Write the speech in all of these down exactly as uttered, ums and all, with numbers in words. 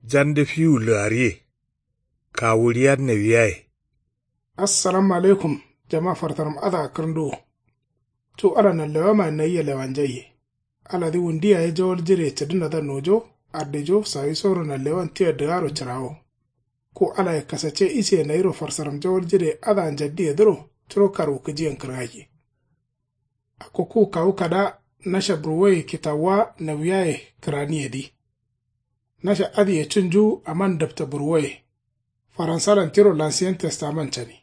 Jande fiwu lǝgariye. Kawuɍiya nawiyaye. Assalamu alaikum. Jama fartaram adǝa kǝrǝnduwo. Cu ala nanlewamayen nayia lewanjaiye. Aladǝ wundu yaye jawal jire cǝdǝnadǝa nojo. Ardejo sawisoro nanlewan tia dǝgaro cǝrawo. Ku alaye kasacce isiye nayiro farsaram jawal jire adǝa njaddiyedǝro curo karwukǝjiyen kǝrgaiye. Akko ku kawu kada nasha burwoye kitawuwa nawiyaye kǝraniyedǝ. Nasha adǝye cunju aman dǝpta burwoye. Faransalan tiro lansiyen testaman cani.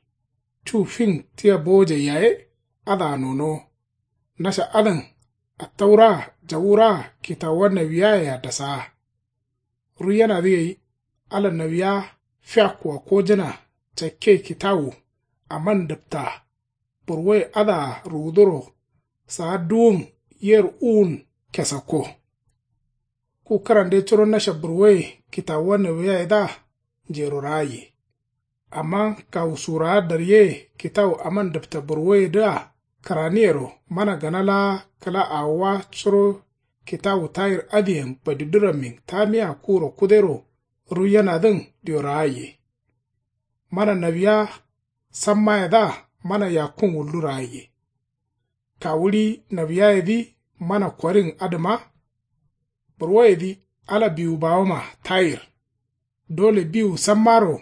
Cu fin tia bowojai yaye adǝa nonowo. Nasha adǝn attauraa jawuraa kitawuwa nawiyayea dasaa. Ruiyanadǝ gai ala nawiya fiakkua kojǝna cakke kitawu aman dǝpta burwoye adǝa ruwuduro saa duwun yer uwun kesakko. Ku kǝrande curo nasha burwoye kitawuwa nawiyayedǝa njero ragaiye. Amma kawu surawa daryeye kitawu aman dǝpta burwoyedǝa kǝraniyero mana gana laa kǝla awowa curo kitawu tayir adǝyen badidurammin tamiya kuro kudero ruiyanadǝn diyo ragaiye. Mana nawiya sammayedǝa mana yakkun wullu ragaiye. Kawuɍi nawiyayedǝ mana korin adǝma. Burwoyedǝ ala biwu bawoma tayir. Dole biwu sammaro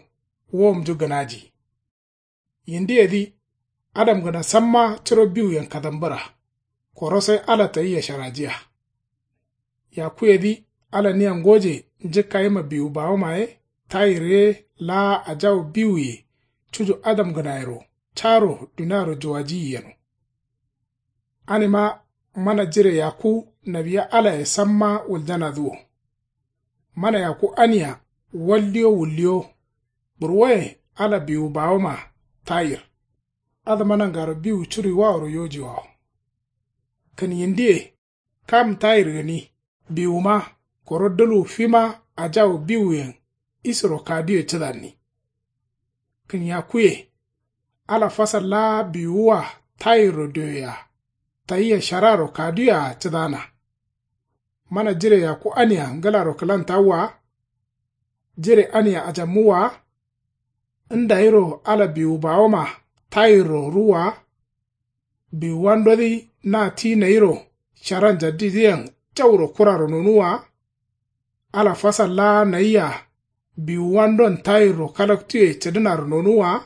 wowomnju gǝnaji. Yindiyedǝ adamgǝna samma curo biwuyen kadambǝra. Koro sai ala tayia sharajiya. Yakkuyedǝ ala nia ngoje njǝkkayima biwu bawoma ye tayir ye laa ajawu biwuye cuju adamgǝnayero caro duniaro juwajiyi yeno. Anima mana jire yakku nawiya alaye samma wuljanadǝ wo. Mana yakku ania walliyo wulliyo. Burwoye ala biwu bawoma tayir. Adǝma nangaro biwu curuiwaworo yojiwawo. Kǝn yindiye kam tayir gǝni biwuma koro dǝlwu fima ajawu biwuyen isiro kaduye cǝdanni. Kǝn yakkuye ala fasal laa biwuwa tayirro dioyea tayia shararo kaduye-a cǝdana. Mana jire yakku ania ngǝlaro kǝlantawwa wa. Jire ania ajammuwwa wa. Ndayiro ala biwu bawoma tayirro ruwwa wa. Biwuwandodǝ na ti nayiro shara njaddidǝyen jauro kuraro nonuwwa wa. Ala fasal laa nayia biwuwandon tayirro kalaktuye cǝdǝnaro nonuwwa wa.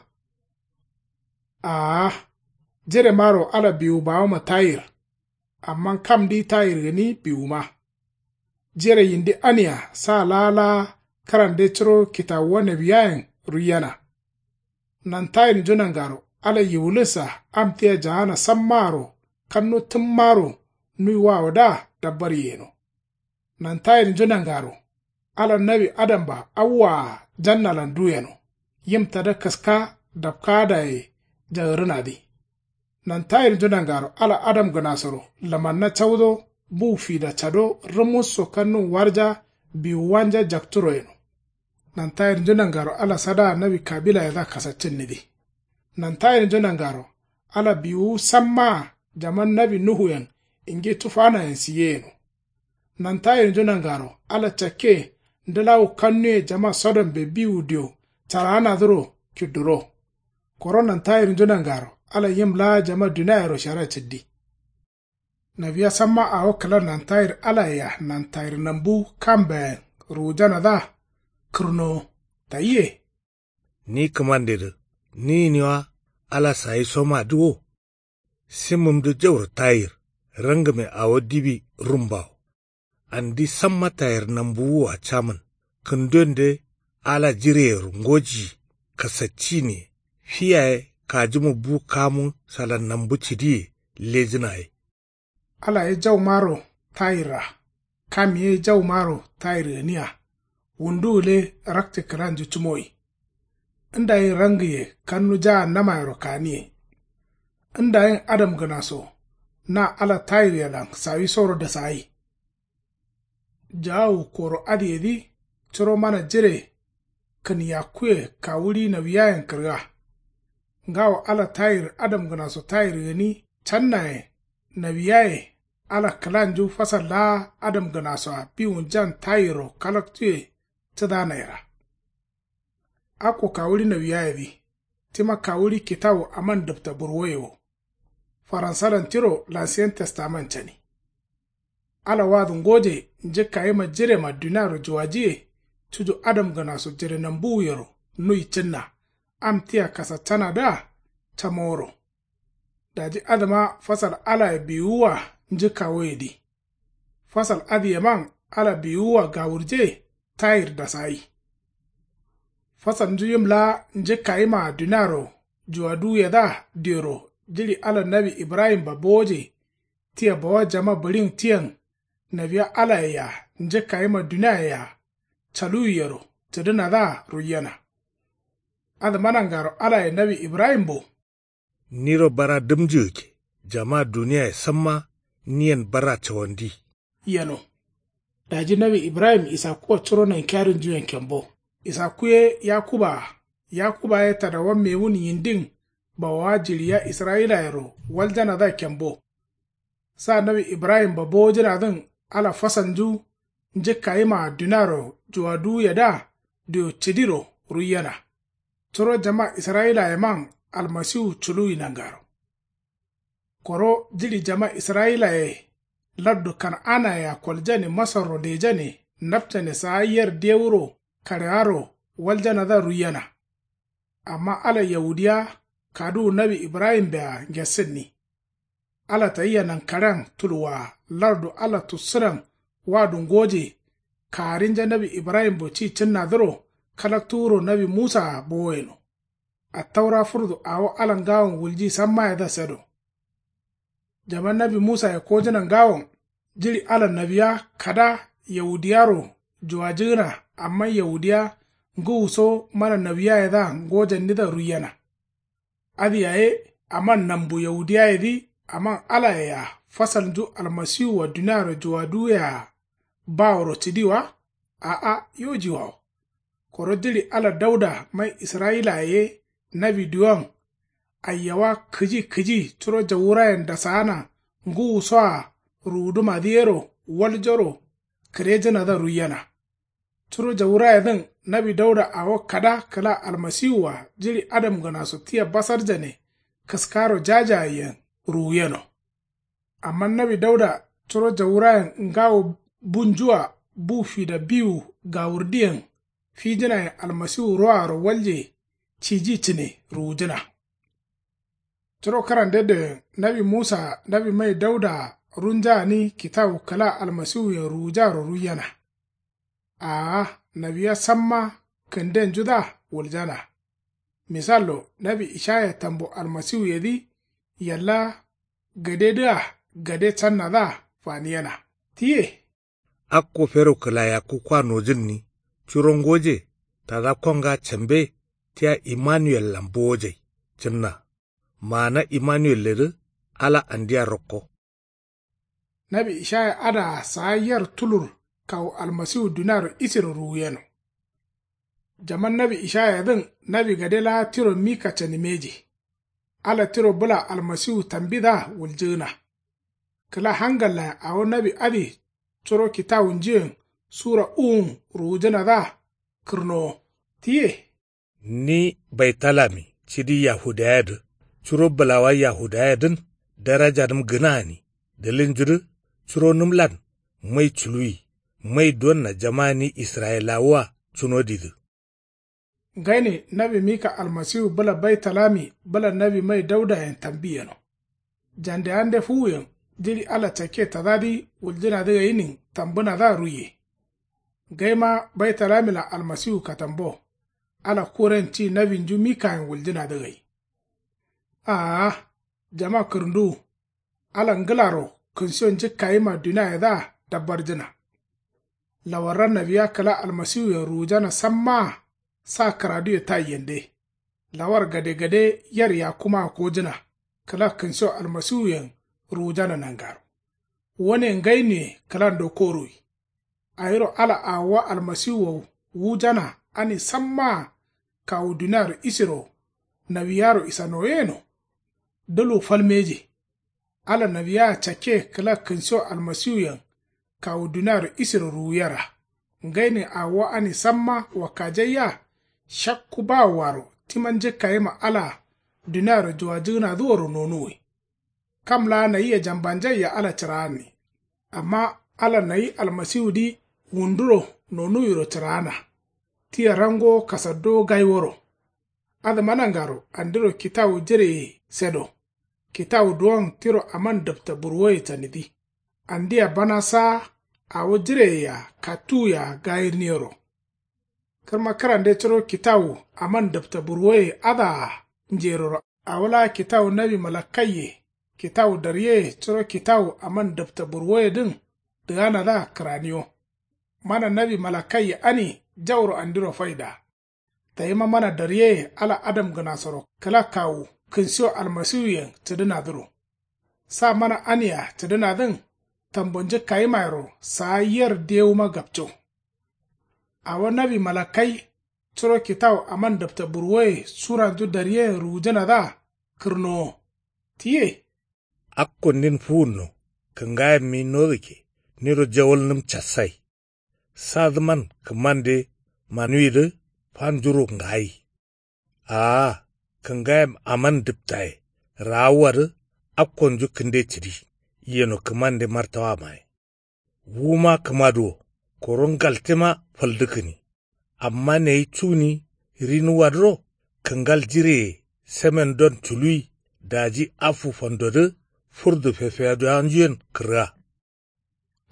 Aa. Jiremaro ala biwu bawoma tayir. Amma kamdǝ tayir gǝni biwuma. Jire yindi ania sa laa laa kǝrande curo kitawuwa nawiyayen ruiyena. Nantayirnju nangaro ala yiwulǝssa am tia jaana sammaaro kannu tǝmmaro nuiwawodǝa dabbar yeno. Nantayirnju nangaro ala nawi adamba awwaa jannalan duyeno. Yim tada kǝska dapkaadaye jagǝrǝnadǝ. Nantayirnju nangaro ala adamgǝnasoro lamanna caudo bu fida cado rǝmusso kannun warja biwuwanja jakturo yeno. Nantayirnju nangaro ala sadaa nawi kabilayedǝa kasaccinnidǝ. Nantayirnju nangaro ala biwuwu sammaa jaman nawi nuhuyen ingi tufanayen siye yeno. Nantayirnju nangaro ala cakke ndǝlawu kannuye jama sodombe biwu dio caraanadǝro kidduro. Koro nantayirnju nangaro ala yim laa jama duniayero shara cǝddi. Nawiya samma awo kǝla nantayir alayea nantayir nambu kambeyen ruwujanadǝa kǝrnowo. Tayiye. Ni kǝmandedǝ ni gǝniwa ala sayisomadǝ wo. Simǝmdǝ jauro tayir rangǝme awo dibi rumbawo. Andi samma tayir nambuwua camǝn kǝndonde ala jireyero ngojiyi kasacciniye fi yaye kajǝmu bu kamu sala nambu cǝdiye lejǝna ye. Ala ye jaumaro tayirra. Kam ye jaumaro tayir gǝnia. Wundu gǝle rakce kǝlanju cǝmoyi. Ndayin rangǝye kannu jaannamayero kaniye. Ndayin adamgǝnaso na ala tayiryelan sawisoro dasayi. Jaawu koro adǝyedǝ curo mana jire kǝn yakkuye kawuɍi nawiyayen kǝrga. Ngawo ala tayir adamgǝnaso tayir gǝni cannayen nawiyaye ala kǝlanju fasal laa adamgǝnasoa biwunjan tayirro kalaktuye cǝdanayera. Akko kawuɍi nawiyayedǝ tima kawuɍi kitawu aman dǝpta burwoye wo. Faransalan tiro lansiyen testaman cani. Ala wadǝ ngoje njǝkkayima jirema duniaro juwajiye cuju adamgǝnaso jirenambuwuyero nuyi cǝnna am tia kasaccanadǝa camoworo. Daji adǝma fasal alaye biwuwa njǝkkawoyedǝ. Fasal adǝyeman ala biwuwa gawurje tayir dasayi. Fasalnju yim laa njǝkkayimaa duniaro juwaduwuyedǝa diyoro jiɍi ala nawi ibrahimba bowoje tia bawa jama bǝɍin tiyen nawiya alaye-a njǝkkayima duniaye-a caluwiyero cǝdǝnadǝa ruiyena. Adǝma nangaro alaye nawi ibrahimbo. Niro bara dǝmnjǝgǝkke jama duniaye samma niyen bara cawandi. Yeno. Daji nawi ibrahim isakkuwa curo nankiyarinjuyen kembo. Isakku ye yakuba-a. Yakuba ye tadawa mewun yindin bawawa jiɍiya israyilayero waljanadǝa kembo. Sa nawi ibrahimba bowojǝnadǝn ala fasalnju njǝkkayimaa duniaro juwaduwuyedǝa diyo cǝdiro ruiyena. Curo jama israyilayeman almasiwu culuwi nangaro. Koro jiɍi jama israyilaye lardu kan'anaye-a koljane masarro lejane napcane saa yer dewuro karewaro waljanadǝa ruiyena. Amma ala yawudiya kaduwu nawi ibrahimbea ngesǝnni. Ala tayia nankaɍen tulwaa lardu ala tussǝnan wadu ngoje. Kaarinja nawi ibrahimbo ci cǝnnadǝro kalaktuwuro nawi musaa bowoyeno. Attaura fǝrdu awo ala ngawon wulji sammayedǝa sedo. Jama nawi musaye kojǝna ngawon jiɍi ala nawiya kada yawudiyaro juwajǝgǝna amma yawudiya ngǝwuso mana nawiyayedǝa ngojannidǝa ruiyena. Adǝ yaye aman nambu yawudiyayedǝ aman alaye-a fasalnju almasiwua duniaro juwaduwuyea baworo cǝdi wa? A'a yoji wawo. Koro jiɍi ala dauda mai israyilaye ye nawi diwan aiyawa kǝji kǝji curo jawurayen dasaana ngǝwusoa ruwudǝmadǝ yero waljoro kǝrejǝnadǝa ruiyena. Curo jawurayedǝn nawi dauda awo kada kǝla almasiwua jiɍi adamgǝnaso tia basarjane kǝskaro jajayyen ruwuyeno. Amma nawi dauda curo jawurayen ngawo bunjua bu fida biwu gawurdiyen fijǝnayen almasiwu roaro walje ciji cǝne ruwujǝna. Curo kǝrande doyen nawi musaa nawi mai daudaa runjagani kitawu kǝla almasiwuyen ruwujaro ruiyena. Aa nawiya samma kǝndenjudǝa wuljana. Misallo nawi ishaya tambo almasiwuyedǝ yalla gadedǝa gade cannadǝa faniyena. Tiye. Akko fero kǝlayakku kwa nojǝnni curo ngoje tada konga cambe tia imanuwellan bowojai cǝnna. Maana imanuwelledǝ ala andia rokko. Nawi ishaya adǝa saa yer tulur kawu almasiwu duniaro isiro ruwuyeno. Jaman nawi ishayayedǝn nawi gade laa tiro mika canimeji. Ala tiro bǝla almasiwu tambidǝa wuljǝgǝna. Kǝla hangallayen awo nawi adǝ curo kitawunjuyen sura uwun ruwujǝnadǝa kǝrnowo. Tiye. Ni baitalami cidi yahudayedǝ curo bǝlawa yahudayedǝn darajanǝm gǝna gǝni dǝlǝnjudǝ curonǝmlan mai culuwi mai donna jama ni israyilawua cunodidǝ. Ngaine nawi mika almasiwu bǝla baitalami bǝla nawi mai daudayen tambi yeno. Jandeyande fuwuyen jiɍi ala cakke tadadǝ wuljǝnadǝ gainin tambǝnadǝa ruiye. Gaima baitalamila almasiwu katambo ala kuren ci nawinju mikayen wuljǝnadǝ gai. Aa jama kǝrǝnduwu ala ngǝlaro kǝnshiyo njǝkkayima duniayedǝa dabbarjǝna. Lawarra nawiya kǝla almasiwuyen ruwujana sammaa sa kǝraduye taiyende. Lawar gadegade yer yakkumaa kojǝna kǝla kǝnshiyo almasiwuyen ruwujana nangaro. Wone ngainuye kǝlando koruwi. Awiro ala awowa almasiwuwo wujana ani sammaa kawu duniaro isiro nawiyaro isanoyeno. Dǝlu fal mbeji. Ala nawiyaa cakke kǝla kǝnshiyo almasiwuyen kawu duniaro isiro ruwuyera. Ngainin awo ani samma wakkajaiya. Shakku bawowaro tima njǝkkayima alaa duniaro juwajǝgǝnadǝworo nonuwi. Kam laa nayia jambanjaiya ala cǝraanni. Amma ala nayi almasiwudǝ wunduro nonuwiro cǝraana. Tia rangowo kasaddowo gaiworo. Adǝma nangaro andiro kitawu jireye sedo. Kitawu duwon tiro aman dǝpta burwoye canidǝ. Andia bana saa awo jireyea kattuwia gayirniyoro. Kǝrma kǝrande curo kitawu aman dǝpta burwoye adǝa njeroro awo laa kitawu nawi malakkaiye kitawu daryeye curo kitawu aman dǝpta burwoyedǝn dǝganadǝa kǝraniyo. Mana nawi malakkaiye ani jauro andiro faida. Tayima mana daryeye ala adamgǝnasoro kǝla kawu kǝnsiwo almasiwuyen cǝdǝnadǝro. Sa mana ania cǝdǝnadǝn tambonjǝkkayimayero saa yer dewuma gapco. Awo nawi malakkai curo kitawu aman dǝpta burwoye suranju daryeyen ruwujǝnadǝa kǝrnowo. Tiye. Akkondin fuwunno kǝngayemmi nodukke niro jawalnǝm cassai. Sadǝman kǝmande manuwidǝ fanjuro ngayi. Aa kǝngayem aman dǝptaye raawuwadǝ akkonju kǝnde cǝdi. Yeno kǝmande martawamaye. Wuma kǝmaduwo koro ngaltema faldǝkkǝni. Amma neyi cuni rinuwadǝro kǝngal jireye semendon culuwi daji affu fandodǝ furdu fefeyaduwanjuyen kǝrga.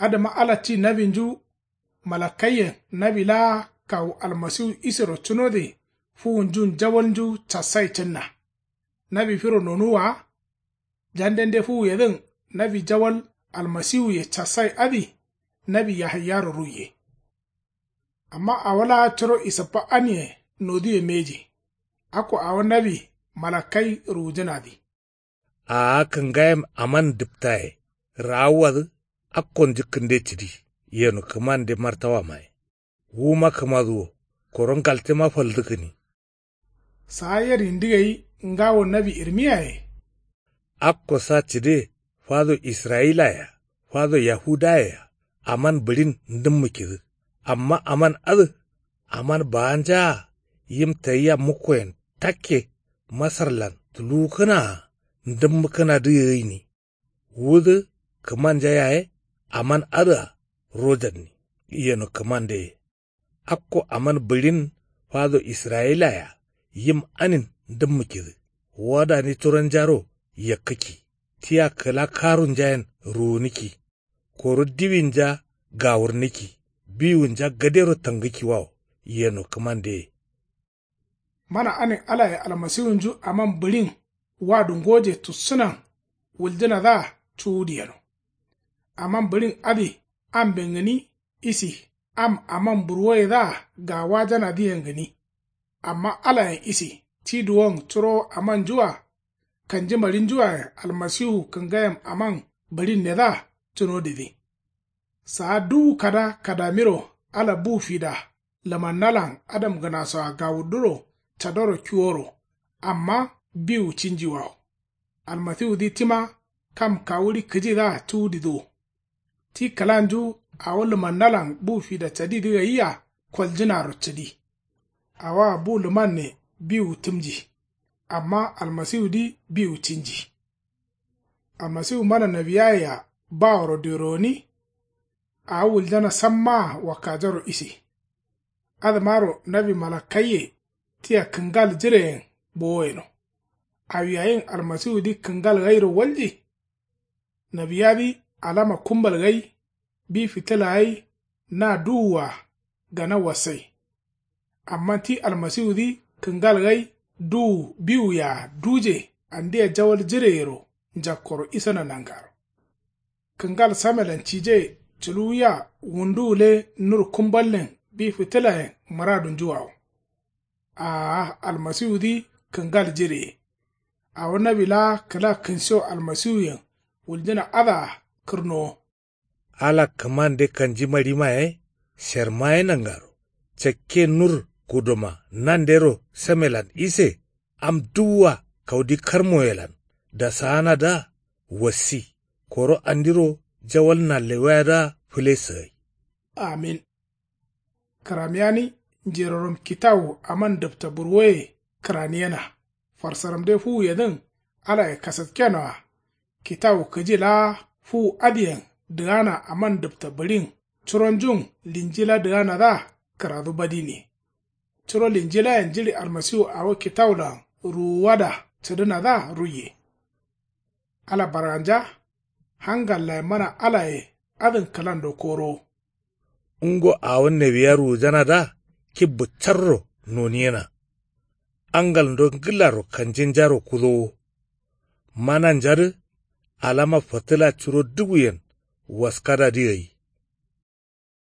Adǝma ala ti nawinju malakkaiyen nawi laa kawu almasiwu isero cunode fuwunjun jawalnju cassai cǝnna. Nawi firo nonuwwa wa. Jandende fuwuyedǝn nawi jawal almasiwuye cassai adǝ nawi yahaiyaro ruiye. Amma awo laa curo isǝppa anie noduwe mbeji. Akko awo nawi malakkai ruwujǝnadǝ. Aa kǝngayem aman dǝptaye raawuwadǝ akkonju kǝnde cǝdi. Yeno kǝmande martawamaye. Wuma kǝmaduwo koro ngaltema faldǝkkǝni. Saa yer yindi gai ngawo nawi irmiyaye. Akko sa cǝde fado israyilaye-a fado yahudaye-a aman bǝɍin ndǝmmǝkkidǝ. Amma aman adǝ aman baanjaa yim tayia mukkoyen takke masarlan tuluwukkǝnaa ndǝmmǝkkǝnadǝ gai gǝni. Wudǝ kǝmanja yaye aman adǝa rojanni. Yeno kǝmandeye. Akko aman bǝɍin fado israyilaye-a yim anin ndǝmmǝkkidǝ. Wadani turonjaro yakkǝkki. Tia kǝla karunjayen ruwunǝkki. Koro diwinja gawurnǝkki. Biwunja gadero tangǝkkiwawo. Yeno kǝmandeye. Mana anin alaye almasiwunju aman bǝɍin wadu ngoje tussǝnan wuljǝnadǝa cuwudu yeno. Aman bǝɍin adǝ amben gǝni isi am aman burwoyedǝa gawajanadǝyen gǝni. Amma alayen isi ti duwon curowo amanjua kanjimaɍinjuayen almasiwu kǝngayem aman bǝɍinnedǝa cunodidǝ. Saa duwu kada kadamiro ala bu fida lǝmannalan adamgǝnasoa gawurduro cadoro kiworo. Amma biwu cinjiwawo. Almasiwudǝ tima kam kawuɍi kǝjidǝa cuwudidǝ wo. Ti kǝlanju awo lǝmannalan bu fida cadidǝ gaia koljǝnaro cǝdi. Awoa bu lǝmanne biwu tǝmji. Amma almasiwudǝ biwu cinji. Almasiwu mana nawiyayea baworo diworo gǝni. Awo wuljana sammaa wakkajaro ise. Adǝmaro nawi malakkaiye tia kǝngal jireyen bowo yeno. Awi ayin almasiwudǝ kǝngal gairo walji. Nawiyadǝ alama kumbal gai bi fitǝla gai na duwua gana wassai. Amma ti almasiwudǝ kǝngal gai duwu biwuyea duje andia jawal jireyero njakkoro isana nangaro. Kǝngal samelan cije culuwiya wundu gǝle nur kumballen bi fitǝlayen mǝradunjuwawo. Aa almasiwudǝ kǝngal jireye. Awo nawi laa kǝla kǝnsiwo almasiwuyen wuljǝna adǝa kǝrnowo. Ala kǝmande kanjimaɍima ye sherma ye nangaro cakke nur kudoma nandero samelan ise am duwwa kaudi karmoyelan dasaanadǝa wassi. Koro andiro jawal nallewayadǝa fǝle sǝgai. Amin. Kǝramiyani njerorom kitawu aman dǝpta burwoye kǝraniyena. Farsaramde fuwuyedǝn alaye kasatkenoa. Kitawu kǝji laa fuwu adǝyen dǝgana aman dǝpta bǝɍin curonjun linjila dǝganadǝa kǝradu badini. Curo linjilayen jiɍi almasiwu awo kitawulan ruwuwada cǝdǝnadǝa ruiye. Ala barganja hangallaye mana alaye adǝn kǝlando korowo. Ngo awo newiya ruwujanadǝa kibbu carro noniyena. Angalndo ngǝlaro kanjinjaro kudowo. Mananjadǝ alama fǝtǝla curo dǝbuyen waskadadǝ gai.